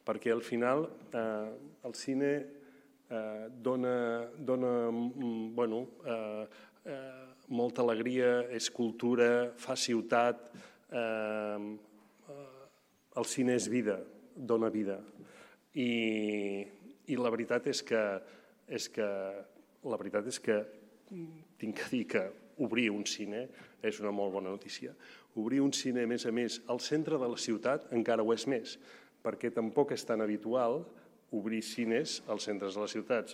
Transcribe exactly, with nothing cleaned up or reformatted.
perquè al final el cine dona molta alegria, és cultura, fa ciutat, el cine és vida, dona vida. I la veritat és que la veritat és que tinc que dir que obrir un cine és una molt bona notícia. Obrir un cine, a més a més, al centre de la ciutat encara ho és més, perquè tampoc és tan habitual obrir cines als centres de les ciutats.